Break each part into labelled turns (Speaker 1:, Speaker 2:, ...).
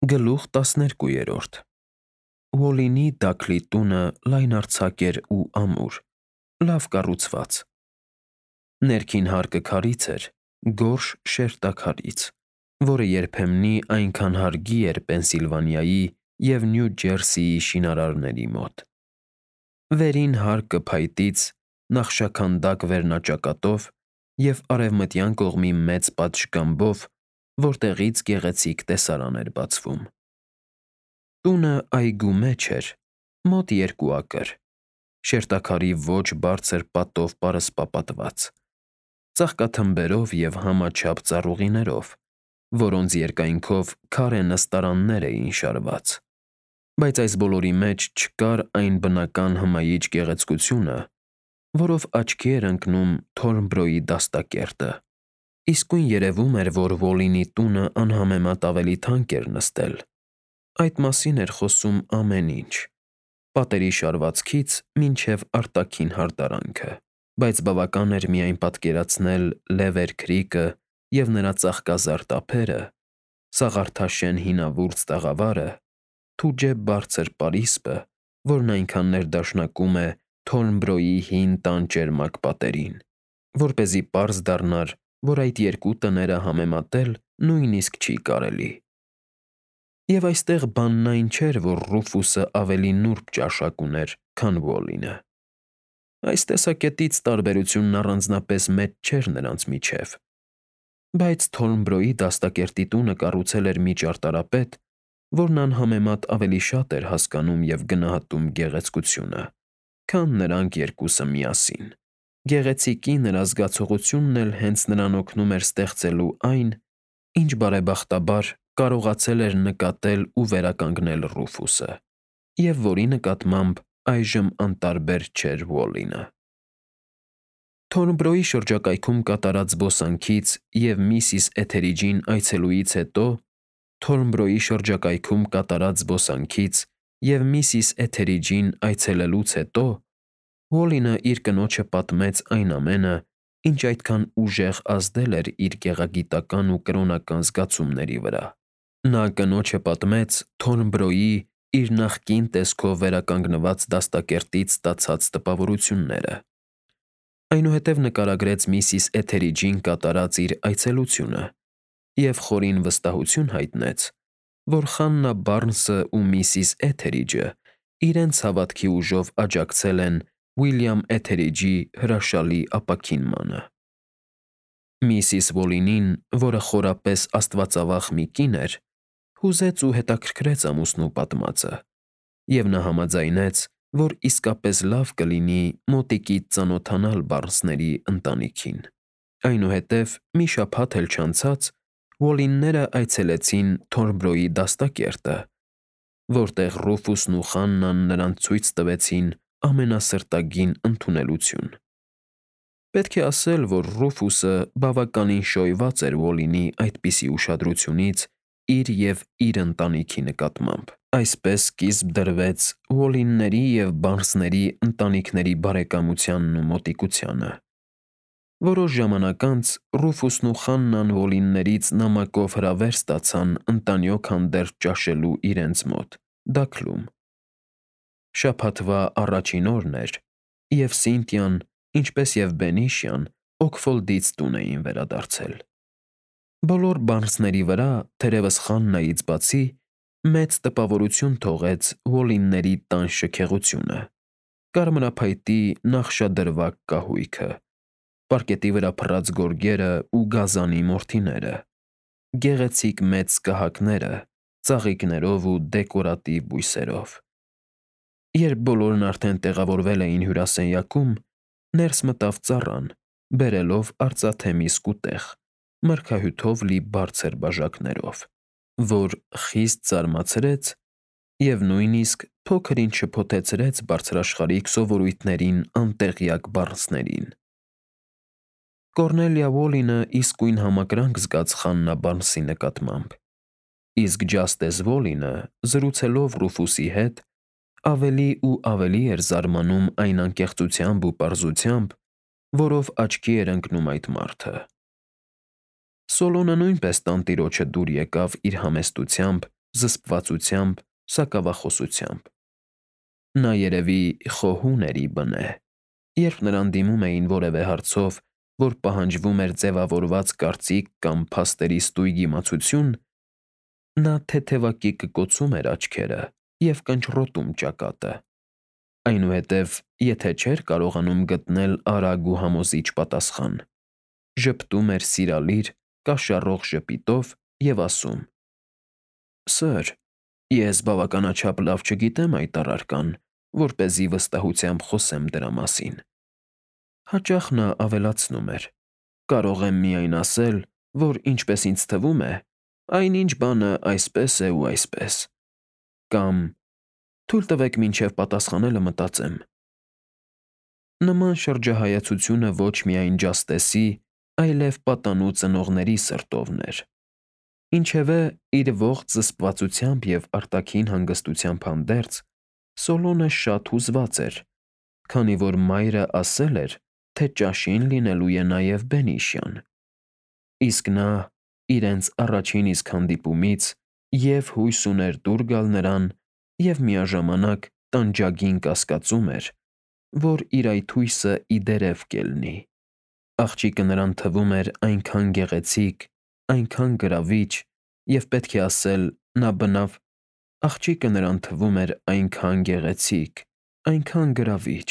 Speaker 1: Գլուխ 12 Ուոլինի Դաքլի տունը լայնարձակ էր ու ամուր, լավ կառուցված։ Ներքին հարկը քարից էր, գորշ շերտաքարից, որը երբեմնի այնքան հարգի էր Պենսիլվանիայի և Նյու Ջերսիի շինարարների մոտ։ Վերին հարկը փայտից, նախշաքանդակ վերնաճակատով և արևմտյան կողմի մեծ պատշգամբով, որտեղից գեղեցիկ տեսարան էր բացվում։ Տունը այգու մեջ էր, մոտ 2 ակր, շերտաքարի ոչ բարձր պատով պարսպապատված, ծաղկաթմբերով և համաչափ ծառուղիներով, որոնց երկայնքով քարե նստարաններ էին շարված։ Բայց այս բոլորի մեջ չկար այն բնական հմայիչ գեղեցկությունը, որով աչքի էր ընկնում Թորնբրոյի դաստակերտը։ Իսկույն երևում էր, որ Ուոլինի տունը անհամեմատ ավելի թանկ էր նստել։ Այդ մասին էր խոսում ամեն ինչ՝ պատերի շարվածքից մինչև արտաքին հարդարանքը, բայց բավական էր միայն պատկերացնել Լևեր Քրիքը և նրա ծաղկազարդ ափերը, սաղարթաշեն հինավուրց տաղավարը, թուջե բարձր պարիսպը, որն այնքան ներդաշնակում է Թորնբրոյի հին տան ճերմակ պատերին, որպեսզի պարզ դառնար, որ այդ երկու տները համեմատել նույնիսկ չի կարելի։ Եվ այստեղ բանն այն չէր, որ Ռուֆուսը ավելի նուրբ ճաշակ ուներ, քան Ուոլինը։ Այս տեսակետից տարբերությունն առանձնապես մեծ չէր նրանց միջև։ Բայց Թորնբրոյի դաստակերտի տունը կառուցել էր մի ճարտարապետ, որն անհամեմատ ավելի շատ էր հասկանում և գնահատում գեղեցկությունը, քան նրանք երկուսը միասին։ Գեղեցիկի նրա զգացողությունն էլ հենց նրան օգնում էր ստեղծելու այն, ինչ բարեբախտաբար կարողացել էր նկատել ու վերականգնել Ռուֆուսը, և որի նկատմամբ այժմ անտարբեր չէր Ուոլինը։ Թորնբրոյի շրջակայքում կատարած զբոսանքից և միսիս Էթերիջին այցելուից հետո Ուոլինը իր կնոջը պատմեց այն ամենը, ինչ այդքան ուժեղ ազդել էր իր գեղագիտական ու կրոնական զգացումների վրա։ Նա կնոջը պատմեց Թորնբրոյի իր նախկին տեսքով վերականգնված դաստակերտից ստացած տպավորությունները։ Այնուհետև նկարագրեց միսիս Էթերիջին կատարած իր այցելությունը և խորին վստահություն հայտնեց, որ Խաննա Բարնսը ու միսիս Էթերիջը իրենց հավատքի ուժով աջակցել են Ուիլյամ Էթերիջի հրաշալի ապաքինմանը։ Միսիս Ուոլինին, որը խորապես աստվածավախ մի կին էր, հուզեց ու հետաքրքրեց ամուսնու պատմածը, և նա համաձայնեց, որ իսկապես լավ կլինի մոտիկից ծանոթանալ Բարնսների ընտանիքին։ Այնուհետև մի շաբաթ էլ չանցած Ուոլինները այցելեցին Թորնբրոյի դաստակերտը, որտեղ Ռուֆուսն ու Խաննան նրանց ցույց տվեցին ամենասրտագին ընդունելություն։ Պետք է ասել, որ Ռուֆուսը բավականին շոյված էր Ուոլինի այդպիսի ուշադրությունից իր և իր ընտանիքի նկատմամբ։ Այսպես սկիզբ դրվեց Ուոլինների և Բարնսների ընտանիքների բարեկամությանն ու մոտիկությանը։ Որոշ ժամանակ անց Ռուֆուսն ու Խաննան Ուոլիններից նամակով հրավեր ստացան ընտանյոք հանդերձ ճաշելու իրենց մոտ՝ Դաքլում։ Շաբաթվա առաջին օրն էր, և Սինթիան, ինչպես և Բենիշյան Օքֆոլդից տուն էին վերադարձել։ Բոլոր Բարնսների վրա, թերևս Խաննայից բացի, մեծ տպավորություն թողեց Ուոլինների տան շքեղությունը՝ կարմրափայտի նախշադրվակ կահույքը, պարկետի վրա փռած գորգերը ու գազանի մորթիները, գեղեցիկ մեծ սկահակները ծաղիկներով ու դեկորատիվ բույսերով։ Երբ բոլորն արդեն տեղավորվել էին հյուրասենյակում, ներս մտավ ծառան՝ բերելով արծաթե մի սկուտեղ՝ մրգահյութով լի բարձր բաժակներով, որ խիստ զարմացրեց և նույնիսկ փոքր-ինչ շփոթեցրեց բարձրաշխարհիկ սովորույթներին անտեղյակ Բարնսներին։ Կոռնելիա Ուոլինը իսկույն համակրանք զգաց Խաննա Բարնսի նկատմամբ, իսկ Ջաստես Ուոլինը, զրուցելով Ռուֆուսի հետ, ավելի ու ավելի էր զարմանում այն անկեղծությամբ ու պարզությամբ, որով աչքի էր ընկնում այդ մարդը։ Սոլոմոնը նույնպես տանտիրոջը դուր եկավ իր համեստությամբ զսպվածությամբ, սակավախոսությամբ։ Նա երևի խոհուն էր ի բնե։ Երբ նրան դիմում էին որևէ հարցով, որ պահանջվում էր ձևավորված կարծիք կամ փաստերի ստույգ իմացություն, նա թեթևակի կկոցում էր աչքերը և կնճռոտում ճակատը։ Այնուհետև, եթե չէր կարողանում գտնել արագ ու համոզիչ պատասխան, ժպտում էր սիրալիր, կաշառող ժպիտով և ասում. «Սըր, ես բավականաչափ լավ չգիտեմ այդ առարկան, որպեսզի վստահությամբ խոսեմ դրա մասին»։ Հաճախ նա ավելացնում էր. «Կարող եմ միայն ասել, որ ինչպես ինձ թվում է, այնինչ բանը այսպես է ու այսպես»։ Կամ. «Թույլ տվեք մինչև պատասխանելը մտածեմ»։ Նման շրջահայացությունը ոչ միայն Ջաստեսի, այլև պատանու ծնողների սրտովն էր։ Ինչևէ, իր ողջ զսպվածությամբ և արտաքին հանգստությամբ հանդերձ, Սոլոնը շատ հուզված էր, քանի որ մայրը ասել էր, թե ճաշին լինելու է նաև բենիշյան։ Իսկ նա, իրենց առաջին իսկ հանդիպումից, և՛ հույս ուներ դուր գալ նրան, և միաժամանակ տանջագին կասկածում էր, որ իր այդ հույսը ի դերև կելնի։ Աղջիկը նրան թվում էր այնքան գեղեցիկ, այնքան գրավիչ, և պետք է ասել, նա բնավ… Աղջիկը նրան թվում էր այնքան գեղեցիկ, այնքան գրավիչ…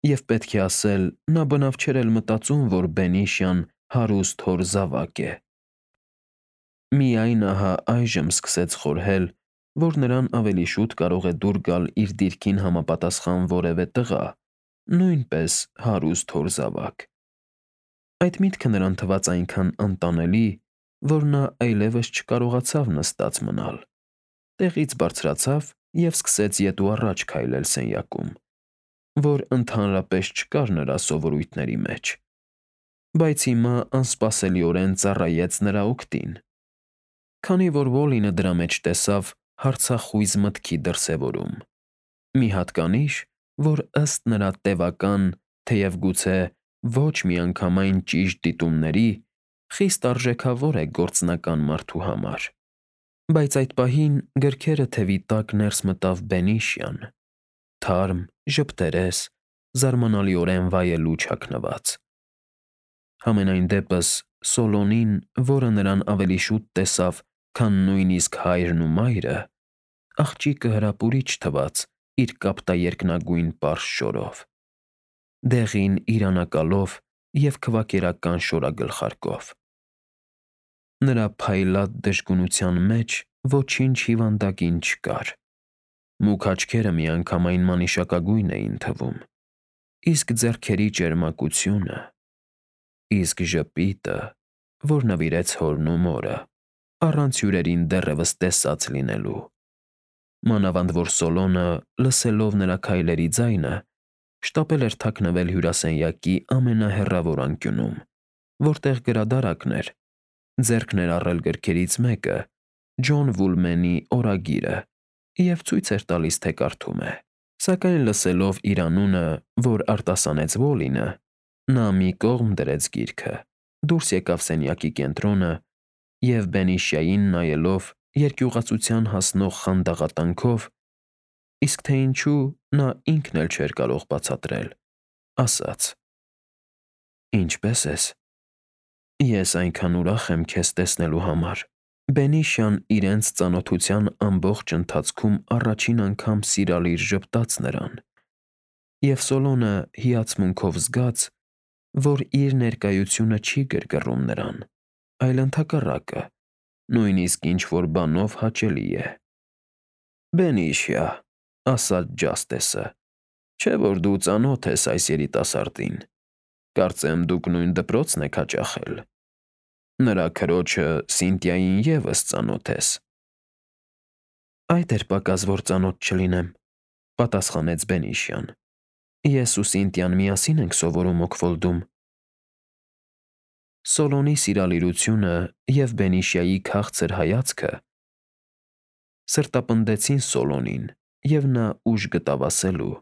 Speaker 1: Եվ պետք է ասել, նա բնավ չէր էլ մտածում, որ բենիշյան հարուստ հոր զավակ է։ Միայն ահա այժմ սկսեց խորհել, որ նրան ավելի շուտ կարող է դուր գալ իր դիրքին համապատասխան որևէ տղա, նույնպես հարուստ հոր զավակ։ Այդ միտքը նրան թվաց այնքան անտանելի, որ նա այլևս չկարողացավ նստած մնալ։ Տեղից բարձրացավ և սկսեց ետ ու առաջ քայլել սենյակում, որ ընդհանրապես չկար նրա սովորույթների մեջ, բայց հիմա անսպասելիորեն ծառայեց նրա օգտին։ Քանի որ Ոլինը դրա մեջ տեսավ հարցախույզ մտքի դրսևորում։ Մի հատկանիշ, որ ըստ նրա տևական, թեև գուցե ոչ միանգամայն ճիշտ դիտումների, խիստ արժեքավոր է գործնական մարդու համար։ Բայց այդ պահին գրքերը թևի տակ ներս մտավ Բենիշյան, թարմ, ժպտերես, զարմանալիորեն վայելու չակնված։ Համենայն դեպս Սոլոնին, որը նրան ավելի շուտ տեսավ, քան նույնիսկ հայրն ու մայրը, աղջիկը հրապուրիչ թվաց իր կապտաերկնագույն պարզ շորով, դեղին իրանակալով և քվակերական շորագլխարկով։ Նրա փայլատ դժգունության մեջ ոչինչ հիվանդագին չկար։ Մուգ աչքերը միանգամայն մանիշակագույն էին թվում, իսկ ձեռքերի ճերմակությունը, իսկ ժպիտը, որ նվիրեց հորն ու մորը, առանց հյուրերին դեռևս տեսած լինելու։ Մանավանդ որ Սոլոնը, լսելով նրա քայլերի ձայնը, շտապել էր թաքնվել հյուրասենյակի ամենահեռավոր անկյունում, որտեղ գրադարանքն էր, ձեռքն էր առել գրքերից մեկը՝ Ջոն Վուլմենի օրագիրը, և ցույց էր տալիս, թե կարդում է։ Սակայն լսելով իր անունը, որ արտասանեց Ոլինը, նա մի կողմ դրեց գիրքը, դուրս եկավ սենյակի կենտրոնը և Բենիշյային նայելով երկյուղացության հասնող խանդաղատանքով, իսկ թե ինչու, նա ինքն էլ չէր կարող բացատրել, ասաց. «Ինչպե՞ս ես։ Ես այնքան ուրախ եմ քեզ տեսնելու համար»։ Բենիշյան իրենց ծանոթության ամբողջ ընթացքում առաջին անգամ սիրալիր ժպտաց նրան, և Սոլոնը հիացմունքով զգաց, որ իր ներկայությունը չի գրգռում նրան, այլ ընդհակառակը, նույնիսկ ինչ֊որ բանով հաճելի է։ «Բենիշիա», ասաց Ջաստեսը, «չէ՞ որ դու ծանոթ ես այս երիտասարդին։ Կարծեմ դուք նույն դպրոցն եք հաճախել։ Նրա քրոջը՝ Սինտիային ևս ծանոթ ես»։ «Այդ էր պակաս, որ ծանոթ չլինեմ», պատասխանեց Բենիշյան։ «Ես ու Սինտիան միասին ենք սովորում Օքֆոլդում»։ Սոլոնի սիրալիրությունը և Բենիշյայի քաղցր հայացքը սրտապնդեցին Սոլոնին, և նա ուժ գտավ ասելու.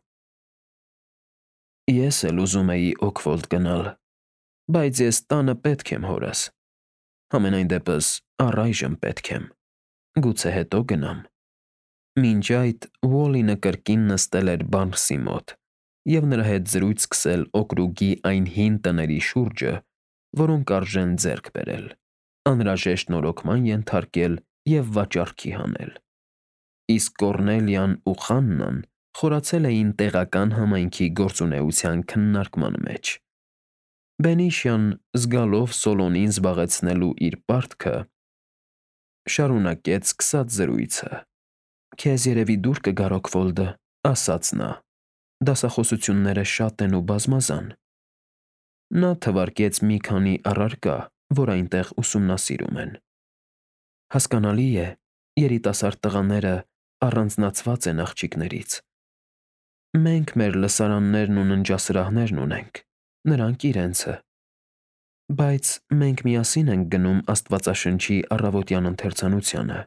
Speaker 1: «Ես էլ ուզում էի Օքֆոլդ գնալ, բայց ես տանը պետք եմ հորս։ Համենայն դեպս առայժմ պետք եմ»։ Գուցե հետո գնամ։ Մինչ այդ Ուոլինը կրկին նստել էր Բարնսի մոտ և նրա հետ զրույց սկսել օկրուգի այն հին տների շուրջը, որոնք արժեն ձեռք բերել, անհրաժեշտ նորոգման ենթարկել և վաճառքի հանել։ Իսկ Կոռնելիան ու Խաննան խորացել էին տեղական համայնքի գործունեության քննարկման մեջ։ Բենիշյան, զգալով Սոլոնին զբաղեցնելու իր պարտքը, շարունակեց սկսած զրույցը. «Քեզ երևի դուր կգա Ռոքվոլդը», ասաց նա։ «Դասախոսությունները շատ են ու բազմազան»։ Նա թվարկեց մի քանի առարկա, որ այնտեղ ուսումնասիրում են։ Հասկանալի է, երիտասարդ տղաները առանձնացված են աղջիկներից։ Մենք մեր լսարաններն ու ննջասրահներն ունենք, նրանք իրենցը։ Բայց մենք միասին ենք գնում Աստվածաշնչի առավոտյան ընթերցանությանը,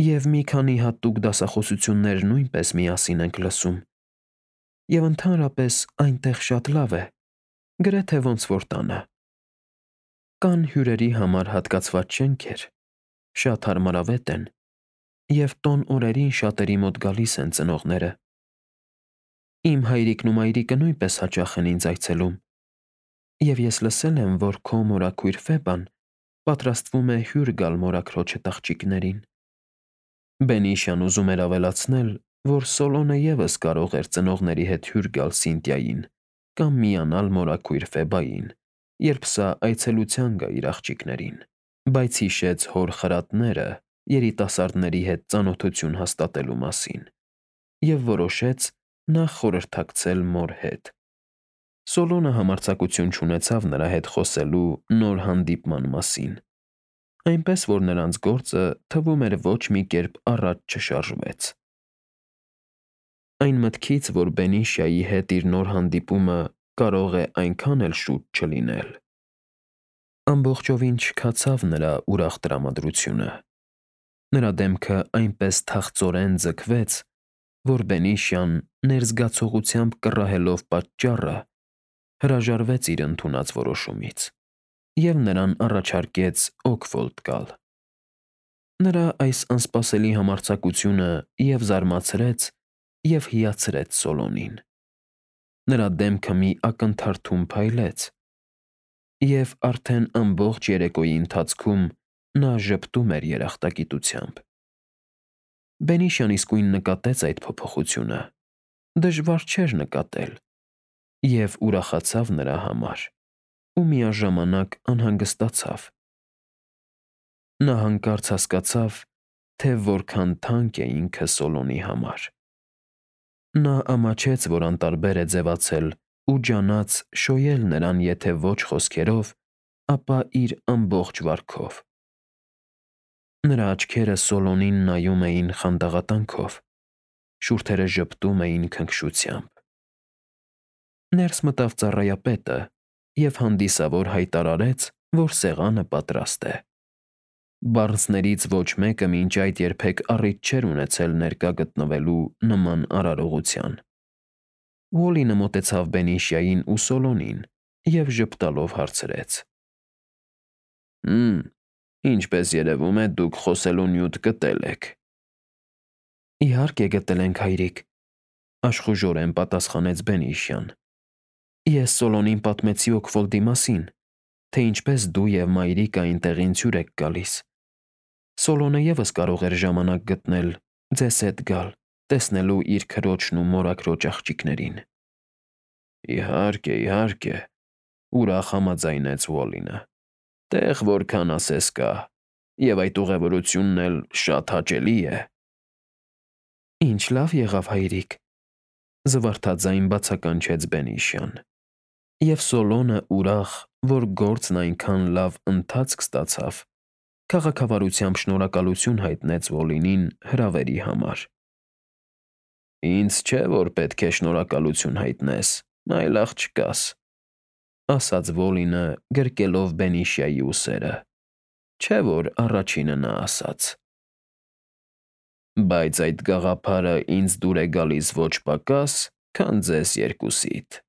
Speaker 1: և մի քանի հատուկ դասախոսություններ նույնպես միասին ենք լսում։ Եվ ընդհանրապես այնտեղ շատ լավ է, գրեթե ոնց որ տանը։ Կան հյուրերի համար հատկացված շենքեր, շատ հարմարավետ են, և տոն օրերին շատերի մոտ գալիս են ծնողները։ Իմ հայրիկն ու մայրիկը նույնպես հաճախ են ինձ այցելում, և ես լսել եմ, որ քո մորաքույր Ֆեբան պատրաստվում է հյուր գալ մորաքրոջը աղջիկներին։ Բենիշյան ուզում էր ավելացնել, որ Սոլոնը ևս կարող էր ծնողների հետ հյուր գալ Սինթիային կամ միանալ մորաքույր Ֆեբային, երբ սա այցելության գա իր աղջիկներին, բայց հիշեց հոր խրատները երիտասարդների հետ ծանոթություն հաստատելու մասին և որոշեց նախ խորհրդակցել մոր հետ։ Սոլոնը համարձակություն չունեցավ նրա հետ խոսելու նոր հանդիպման մասին, այնպես որ նրանց գործը թվում էր ոչ մի կերպ առաջ չշարժվեց։ Այն մտքից, որ Բենիշյայի հետ իր նոր հանդիպումը կարող է այնքան էլ շուտ չլինել, ամբողջովին չքացավ նրա ուրախ տրամադրությունը։ Նրա դեմքը այնպես թախծորեն ձգվեց, որ Բենիշյան, ներզգացողությամբ կռահելով պատճառը, հրաժարվեց իր ընդունած որոշումից և նրան առաջարկեց Օքֆոլդ գալ։ Նրա այս անսպասելի համարձակությունը և՛ զարմացրեց, և՛ հիացրեց Սոլոնին։ Նրա դեմքը մի ակնթարթում փայլեց, և արդեն ամբողջ երեկոյի ընթացքում նա ժպտում էր երախտագիտությամբ։ Բենիշյան իսկույն նկատեց այդ փոփոխությունը, դժվար չէր նկատել, և ուրախացավ նրա համար ու միաժամանակ անհանգստացավ։ Նա հանկարծ հասկացավ, թե որքան թանկ է ինքը Սոլոնի համար։ Նա ամաչեց, որ անտարբեր է ձևացել ու ջանաց շոյել նրան եթե ոչ խոսքերով, ապա իր ամբողջ վարքով։ Նրա աչքերը Սոլոնին նայում էին խանդաղատանքով, շուրթերը ժպտում էին քնքշությամբ։ Ներս մտավ ծառայապետը և հանդիսավոր հայտարարեց, որ սեղանը պատրաստ է։ Բարնսներից ոչ մեկը մինչ այդ երբեք առիթ չէր ունեցել ներկա գտնվելու նման արարողության։ Ուոլինը մոտեցավ Բենիշյային ու Սոլոնին և ժպտալով հարցրեց. Ինչպես երևում է, դուք խոսելու նյութ գտել եք։ Իհարկե գտել ենք, հայրիկ, աշխուժորեն պատասխանեց Բենիշյան։ Ես Սոլոնին պատմեցի Օքֆոլդի մասին, թե ինչպես դու և մայրիկը այնտեղ ինձ հյուր եք գալիս։ Սոլոնը ևս կարող էր ժամանակ գտնել ձեզ հետ գալ, տեսնելու իր քրոջն ու մորաքրոջ աղջիկներին։ Իհարկե, իհարկե, ուրախ համաձայնեց Ուոլինը։ Տեղ որքան ասես կա, և այդ ուղևորությունն էլ շատ հաճելի է։ Ինչ լավ եղավ, հայրիկ, զվարթաձայն բացականչեց Բենիշյան։ Եվ Սոլոնը ուրախ, որ գործն այնքան լավ ընթացք ստացավ, քաղաքավարությամբ շնորհակալություն հայտնեց Ուոլինին հրավերի համար։ Ինձ չէ, որ պետք է շնորհակալություն հայտնես, այլ աղջկաս, ասաց Ուոլինը, գրկելով Բենիշյայի ուսերը, չէ՞ որ առաջինը նա ասաց։ Բայց այդ գաղափարը ինձ դուր է գալիս ոչ պակաս, քան ձեզ երկուսիդ։